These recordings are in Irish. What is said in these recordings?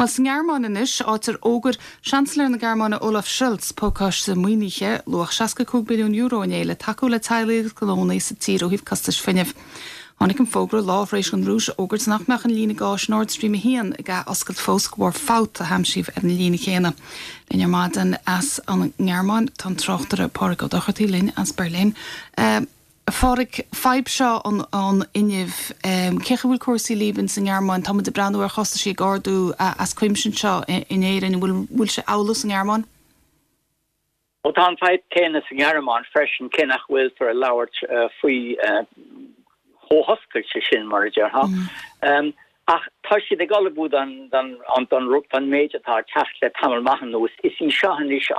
Bhuel, sa nGearmáin anois, áit ar fhógair Seansailéir na Gearmáine Olaf Scholz pacáiste maoinithe luach €65 billiún inné le tacú le teaghlaigh agus gnónna sa tír ó thaobh costais fuinnimh. Tháinig an fógra lá tar éis don Rúis a fhógairt nach mbeadh an líne gáis Nord Stream 1 ag ath-oscailt fós de bharr fabht a haimsíodh ar an líne chéanna. Linn ar maidin as an nGearmáin tá an tráchtaire Pádraig Ó Dochartaigh linn as Berlin. A Phádraig, fadhb seo an fhuinnimh, cén chaoi a bhfuil cúrsaí libh ins an nGearmáin? Tá muid ag breathnú ar chostaisí ag ardú as cuimse anseo in Éirinn. An bhfuil bhfuil sé amhlaidh sa nGearmáin? Ó tá an fadhb céanna sa nGearmáin freisin, cé nach bhfuiltear ag labhairt faoi chomh hoscailte sin, mar a déarfá. Ach tá siad ag ullmhú don don méid atá ag teacht le tamall maith anuas. Is í seo anois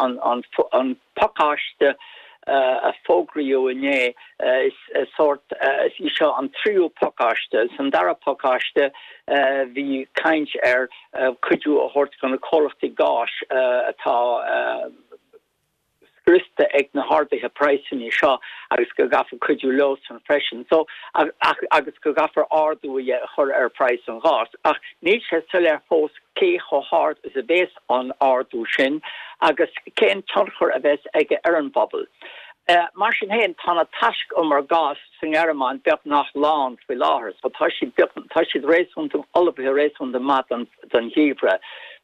an pacáiste a fógraíodh inné. Is sórt, is í seo an tríú pacáiste. San dara pacáiste bhí caint ar cuidiú a thabhairt do na comhlachtaí gáis atá scriosta ag na harduithe praghsanna seo agus go gcaithfear cuidiú leosan freisin. So, ach, agus go gcaithfear ardú a chur ar phraghas an gháis. Ach níl sé soiléir fós cé chomh hard is a bhéas an ardú sin agus cén tionchar a bheas aige ar an bpobal. Mar sin féin, tá na taisc-umair gáis sa nGearmáin beagnach lán faoi láthair, so tá siad beag, tá siad réasúnta, ullmhaithe réasúnta maith don, don gheimhreadh.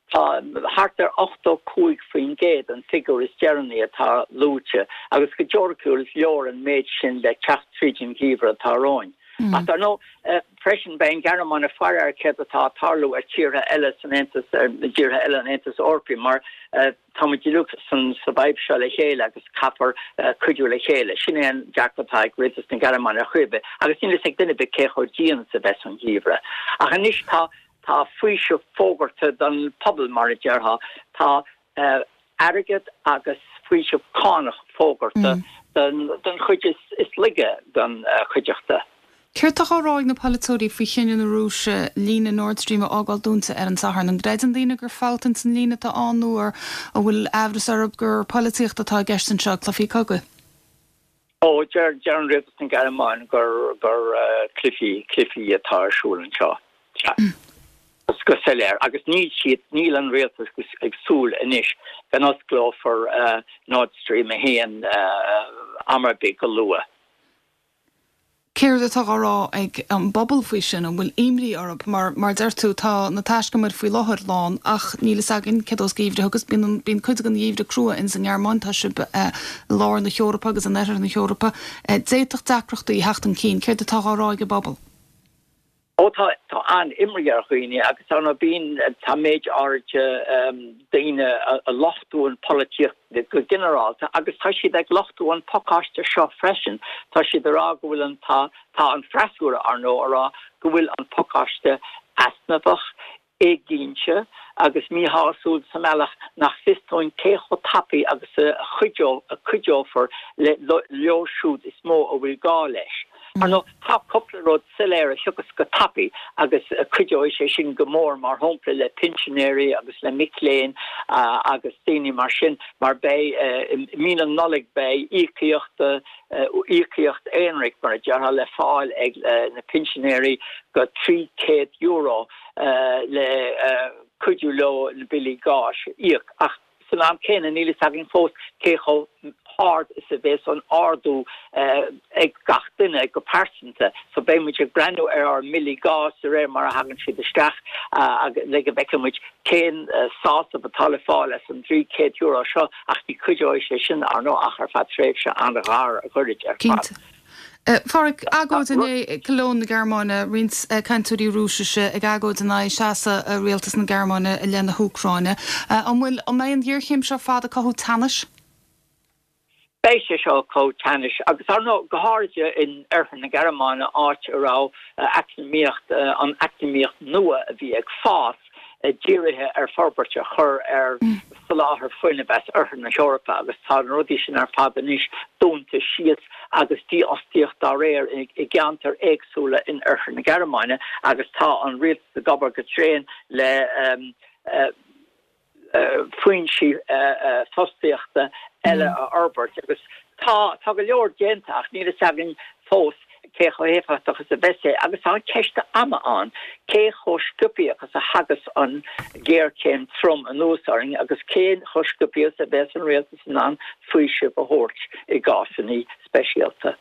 Tá thart ar 85% an figiúr is deireanaí atá luaite agus go teoiriciúil is leor an méid sin le teacht tríd an gheimhreadh atá romhainn. Ach dar ndóigh, freisin, beidh an Ghearmáin ag faire ar céard atá ag tarlú ar tíortha eile san Aontas, ar dtíortha eile an Aontais Eorpaigh mar tá muid uilig san sa bhfadhb seo le chéile agus caithfear cuidiú le chéile. Sin é an dearcadh atá ag rialtas na Gearmáine ar chaoi ar bith agus níl a fhios ag duine ar bith cé chomh dian is a bheas an geimhreadh. Ach anois tá Tá faoiseamh fógartha don phobal, mar a déarfá. Tá airgead agus faoiseamh cánach fógartha don chuid is laige den chuideachta. Céard tá á rá ag na polaiteoirí faoi chinneadh na Rúise líne Nord Stream a fhágáil dúnta ar an Satharn? An gcreideann daoine gur fabht ins an líne atá ann nó an bhfuil aimhreas orthu gur polaitíocht atá i gceist anseo, cluichí cogaidh? Ó, deir an rialtas na Gearmáine gur gur cluichí, cluichí atá ar siúl anseo. Sea. Go soiléir. Agus níl siad, níl an rialtas ag súil anois go n-osclófar Nord Stream 1 am ar bith go luath. Céard atá á rá ag an bpobal faoi sin? An bhfuil imní orthu? Mar, mar a deir tú, tá na taiscumair faoi láthair lán ach níl fhios againn céard a bheas geimhreadh agus bíonn, bíonn cuid den gheimhreadh crua ins an nGearmáin, tá sibh i lár na hEorpa agus in oirthear na hEorpa. D'fhéadfadh deacrachtaí theacht chun cinn. Céard atá á rá ag an bpobal? Ó tá, tá an-imní ar dhaoine agus ar ndóigh bíonn, tá méid áirithe daoine a lochtú an pholaitíocht go ginearálta agus tá siad ag lochtú an pacáiste seo freisin. Tá siad ag rá go bhfuil an, tá, tá an freasúra ar ndóigh ag rá go bhfuil an pacáiste easnamhach, éiginnte agus míshásúil sa mbealach nach fios dúinn cé chomh tapaidh agus a chuideofar leo siúd is mó a bhfuil gá leis. Ar ndóigh, tá cúpla rud soiléir a thiocfas go tapaidh agus cuideoidh sé sin go mór, mar shampla le pinsinéirí agus le mic léinn agus daoine mar sin, mar beidh, i mí na Nollag beidh íocaíocht, íocaíocht aonraic mar a déarfá, le fáil ag na pinsinéirí go €300. le cuidiú leo na billí gáis a íoc. Ach san am céanna níl fhios againn fós cé chomh hard is a bheas an ardú ag gach duine go pearsanta. So beidh muid ag breathnú ar ár mbillí gáis de réir mar a thagann siad isteach le go bhfeicfidh muid cén sásamh atá le fáil as an €300 seo ach ní chuideoidh sé sin, ar ndóigh, ach ar feadh tréimhse an-ghairid ar fad. A Phádraig, agóid inné i Cologne na Gearmáine, roinnt cainteoirí Rúisise ag agóid in aghaidh seasamh rialtas na Gearmáine i leith na hÚcráine. An bhfuil, an mbeidh an ghéarchéim seo ar fad ag cothú teannais? Beidh sé seo ag cothú teannais agus ar ndóigh, go háirithe in oirthear na Gearmáine, áit a raibh eacnamaíocht, an eacnamaíocht nua a bhí ag fás, dírithe ar forbairt a chur ar soláthar fuinnimh as oirthear na hEorpa agus tá na rudaí sin ar fad anois dúnta síos agus dífhostaíocht dá réir i gceantair éagsúla in oirthear na Gearmáine agus tá an rialtas ag obair go tréan le foinsí fostaíochta eile a fhorbairt agus tá tá go leor déanta ach níl fhios againn fós. Cé chomh héifeachtach is a bheas sé? Agus tá an ceist ama ann, cé chomh sciobtha agus a thagas an ghéarchéim trom anuas orainn agus cé chomh sciobtha is a bheas an rialtas in ann faoiseamh a thabhairt i gcásanna speisialta?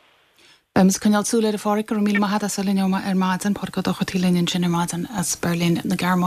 Beimid ag coinneáil súil air, a Pháraic. Go raibh míle maith agat as a bheith linn ar maidin. Pádraic Ó Dochartaigh linn ansin ar maidin as Beirlín na Gearmáine.